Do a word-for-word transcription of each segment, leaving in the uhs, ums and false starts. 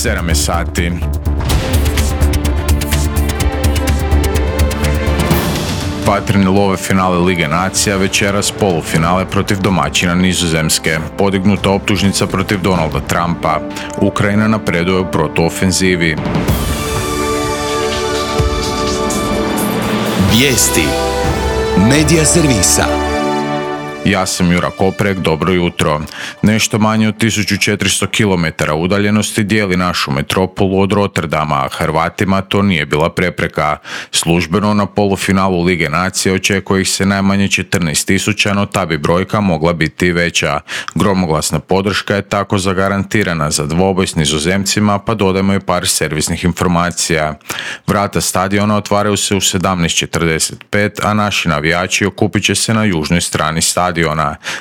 sedam je sati. Vatreni love finale Lige nacija, večeras polufinale protiv domaćina Nizozemske. Podignuta optužnica protiv Donalda Trumpa. Ukrajina napreduje u protuofenzivi. Vijesti Medija servisa. Ja sam Jura Koprek, dobro jutro. Nešto manje od tisuću četiristo kilometara udaljenosti dijeli našu metropolu od Rotterdama, a Hrvatima to nije bila prepreka. Službeno na polufinalu Lige nacije očekuje ih se najmanje četrnaest tisuća, no ta bi brojka mogla biti i veća. Gromoglasna podrška je tako zagarantirana za dvoboj s Nizozemcima, pa dodajmo i par servisnih informacija. Vrata stadiona otvaraju se u sedamnaest četrdeset pet, a naši navijači okupit će se na južnoj strani stadiona.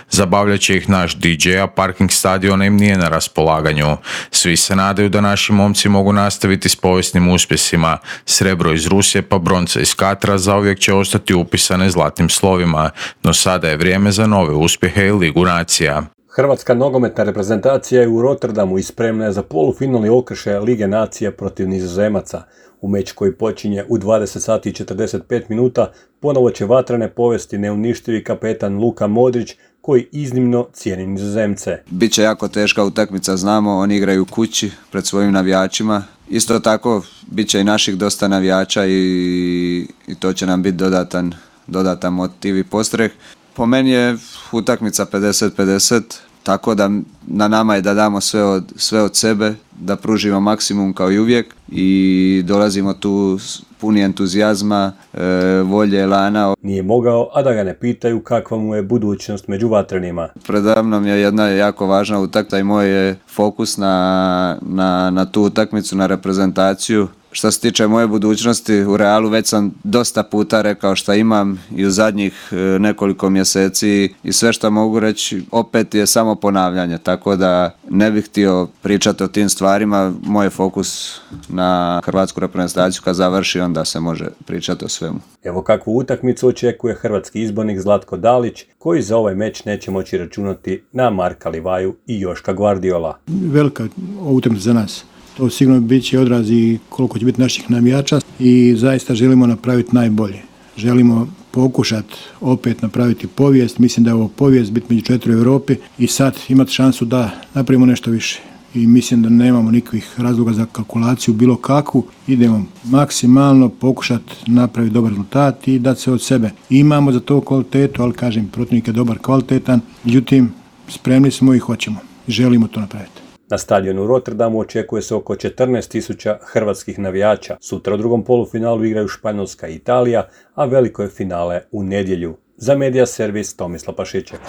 Zabavljat će ih naš D J, a parking stadiona im nije na raspolaganju. Svi se nadaju da naši momci mogu nastaviti s povijesnim uspjesima. Srebro iz Rusije pa bronca iz Katra zauvijek će ostati upisane zlatnim slovima, no sada je vrijeme za nove uspjehe i Ligu nacija. Hrvatska nogometna reprezentacija je u Rotterdamu i spremna je za polufinalni okršaj Lige nacija protiv Nizozemaca. U meč koji počinje u dvadeset sati i četrdeset pet minuta ponovo će vatrene povesti neuništivi kapetan Luka Modrić, koji iznimno cijeni Nizozemce. Biće jako teška utakmica, znamo, oni igraju kući pred svojim navijačima. Isto tako bit će i naših dosta navijača i, i to će nam biti dodatan, dodatan motiv i postreh. Po meni je utakmica pedeset pedeset, tako da na nama je da damo sve od, sve od sebe, da pružimo maksimum kao i uvijek i dolazimo tu puni entuzijazma, e, volje, elana. Nije mogao, a da ga ne pitaju kakva mu je budućnost među vatrenima. Predamnom je jedna jako važna utakmica i moj je fokus na, na, na tu utakmicu, na reprezentaciju. Što se tiče moje budućnosti, u Realu već sam dosta puta rekao što imam i u zadnjih nekoliko mjeseci i sve što mogu reći opet je samo ponavljanje, tako da ne bih htio pričati o tim stvarima. Moj je fokus na hrvatsku reprezentaciju, kad završi onda se može pričati o svemu. Evo kakvu utakmicu očekuje hrvatski izbornik Zlatko Dalić, koji za ovaj meč neće moći računati na Marka Livaju i Joška Guardiola. Velika utakmica za nas. To sigurno bit će odraz i koliko će biti naših navijača i zaista želimo napraviti najbolje. Želimo pokušati opet napraviti povijest. Mislim da je ovo povijest biti među četiri u Europi i sad imati šansu da napravimo nešto više. I mislim da nemamo nikakvih razloga za kalkulaciju bilo kakvu. Idemo maksimalno pokušati napraviti dobar rezultat i dati se od sebe. Imamo za to kvalitetu, ali kažem, protivnik je dobar, kvalitetan. Međutim, spremni smo i hoćemo. Želimo to napraviti. Na stadionu u Rotterdamu očekuje se oko četrnaest tisuća hrvatskih navijača. Sutra u drugom polufinalu igraju Španjolska i Italija, a veliko je finale u nedjelju. Za Medija servis Tomislav Pašiček.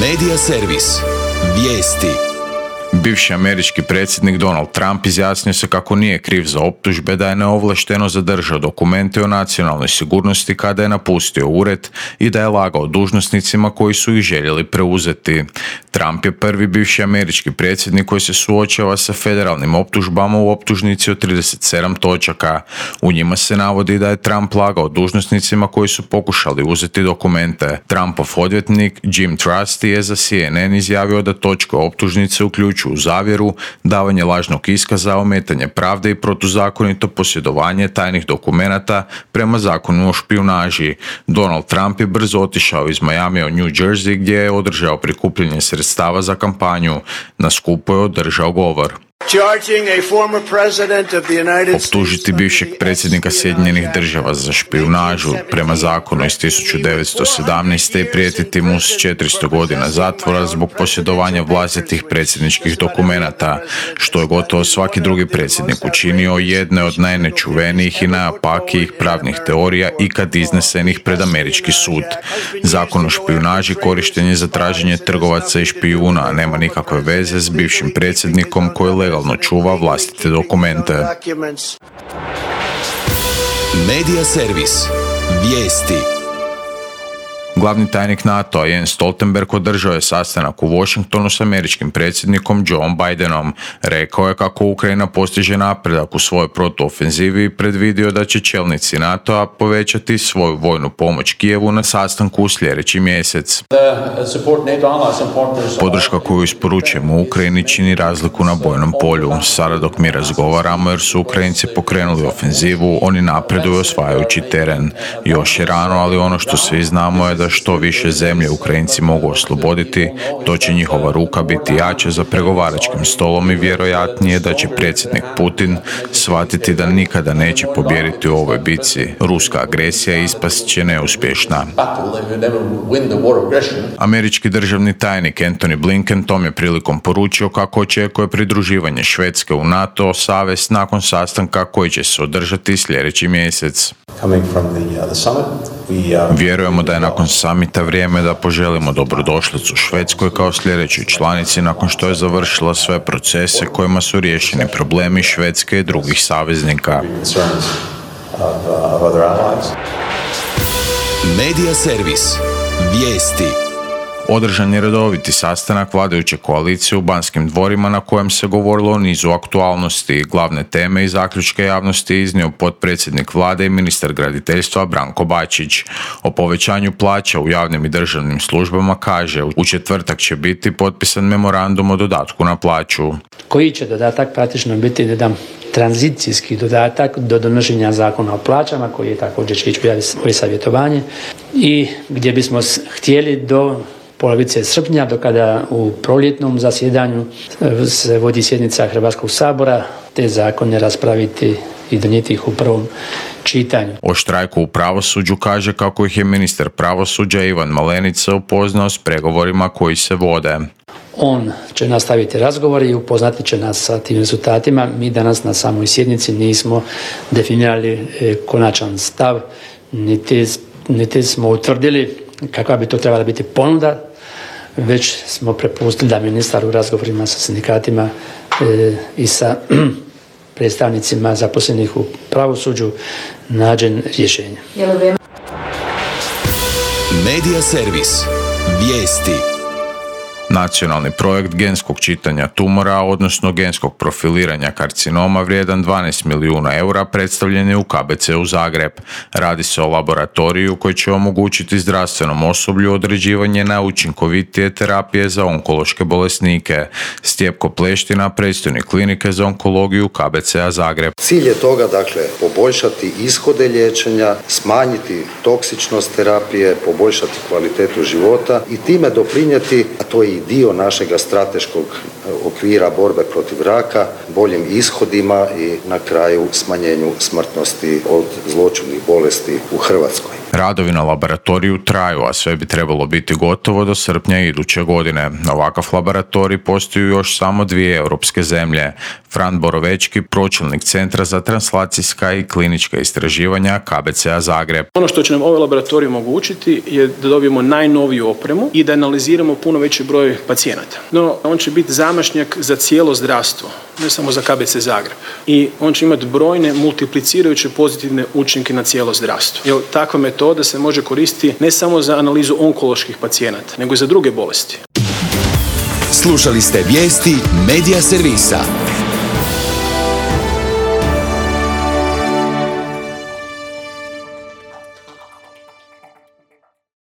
Medija servis. Vijesti. Bivši američki predsjednik Donald Trump izjasnio se kako nije kriv za optužbe da je neovlašteno zadržao dokumente o nacionalnoj sigurnosti kada je napustio ured i da je lagao dužnosnicima koji su ih željeli preuzeti. Trump je prvi bivši američki predsjednik koji se suočava sa federalnim optužbama u optužnici od trideset sedam točaka. U njima se navodi da je Trump lagao dužnosnicima koji su pokušali uzeti dokumente. Trumpov odvjetnik Jim Trusty je za C N N izjavio da točke optužnice uključuju u zavjeru, davanje lažnog iskaza, ometanje pravde i protuzakonito posjedovanje tajnih dokumenata prema zakonu o špijunaži. Donald Trump je brzo otišao iz Miamija u New Jersey gdje je održao prikupljanje sredstava za kampanju. Na skupu je održao govor. Optužiti bivšeg predsjednika Sjedinjenih država za špijunažu prema zakonu iz tisuću devetsto sedamnaeste. i prijetiti mu s četiristo godina zatvora zbog posjedovanja vlastitih predsjedničkih dokumenata, što je gotovo svaki drugi predsjednik učinio, jedne od najnečuvenijih i najopakijih pravnih teorija ikad iznesenih pred američki sud. Zakon o špijunaži korišten je za traženje trgovaca i špijuna, a nema nikakve veze s bivšim predsjednikom koji legalno čuva vlastite dokumente. Medija servis. Vijesti. Glavni tajnik NATO-a Jens Stoltenberg održao je sastanak u Washingtonu s američkim predsjednikom Joe Bidenom. Rekao je kako Ukrajina postiže napredak u svojoj protuofenzivi i predvidio da će čelnici NATO-a povećati svoju vojnu pomoć Kijevu na sastanku u sljedeći mjesec. Podrška koju isporučujemo Ukrajini čini razliku na bojnom polju. Sada dok mi razgovaramo jer su Ukrajinci pokrenuli ofenzivu, oni napreduju osvajajući teren. Još je rano, ali ono što svi znamo je da što više zemlje Ukrajinci mogu osloboditi, to će njihova ruka biti jača za pregovaračkim stolom i vjerojatnije da će predsjednik Putin shvatiti da nikada neće pobijediti u ovoj bitci. Ruska agresija ispast će neuspješna. Američki državni tajnik Antony Blinken tom je prilikom poručio kako očekuje pridruživanje Švedske u NATO savez nakon sastanka koji će se održati sljedeći mjesec. Vjerujemo da je nakon samita vrijeme da poželimo dobrodošlicu Švedskoj kao sljedećoj članici nakon što je završila sve procese kojima su riješeni problemi Švedske i drugih saveznika. Medija servis. Vijesti. Održan je redoviti sastanak vladajuće koalicije u Banskim dvorima na kojem se govorilo o nizu aktualnosti. Glavne teme i zaključke javnosti iznio potpredsjednik vlade i ministar graditeljstva Branko Bačić. O povećanju plaća u javnim i državnim službama kaže u četvrtak će biti potpisan memorandum o dodatku na plaću. Koji će dodatak praktično biti jedan tranzicijski dodatak do donošenja zakona o plaćama koji je također će ići u savjetovanje i gdje bismo htjeli do polovice srpnja, do kada u proljetnom zasjedanju se vodi sjednica Hrvatskog sabora, te zakone raspraviti i donijeti ih u prvom čitanju. O štrajku u pravosuđu kaže kako ih je ministar pravosuđa Ivan Malenica upoznao s pregovorima koji se vode. On će nastaviti razgovor i upoznati će nas sa tim rezultatima. Mi danas na samoj sjednici nismo definirali konačan stav, niti, niti smo utvrdili kakva bi to trebala biti ponuda, već smo prepustili da ministar u razgovorima sa sindikatima e, i sa predstavnicima zaposlenih u pravosuđu nađe rješenje. Medija servis. Vijesti. Nacionalni projekt genskog čitanja tumora, odnosno genskog profiliranja karcinoma vrijedan dvanaest milijuna eura, predstavljen je u K B C u Zagreb. Radi se o laboratoriju koji će omogućiti zdravstvenom osoblju određivanje najučinkovitije terapije za onkološke bolesnike. Stjepko Pleština, predstojnik klinike za onkologiju K B C-a Zagreb. Cilj je toga, dakle, poboljšati ishode liječenja, smanjiti toksičnost terapije, poboljšati kvalitetu života i time doprinijeti, a to je i dio našega strateškog okvira borbe protiv raka, boljim ishodima i na kraju smanjenju smrtnosti od zloćudnih bolesti u Hrvatskoj. Radovi na laboratoriju traju, a sve bi trebalo biti gotovo do srpnja iduće godine. Ovakav laboratorij postoji još samo dvije europske zemlje. Fran Borovečki, pročelnik Centra za translacijska i klinička istraživanja K B C-a Zagreb. Ono što će nam ovaj laboratorij omogućiti je da dobijemo najnoviju opremu i da analiziramo puno veći broj pacijenata. No, on će biti zamašnjak za cijelo zdravstvo, ne samo za K B C Zagreb. I on će imati brojne multiplicirajuće pozitivne učinke na cijelo zdravstvo. Jer takva metoda se može koristiti ne samo za analizu onkoloških pacijenata, nego i za druge bolesti. Slušali ste vijesti Medija servisa.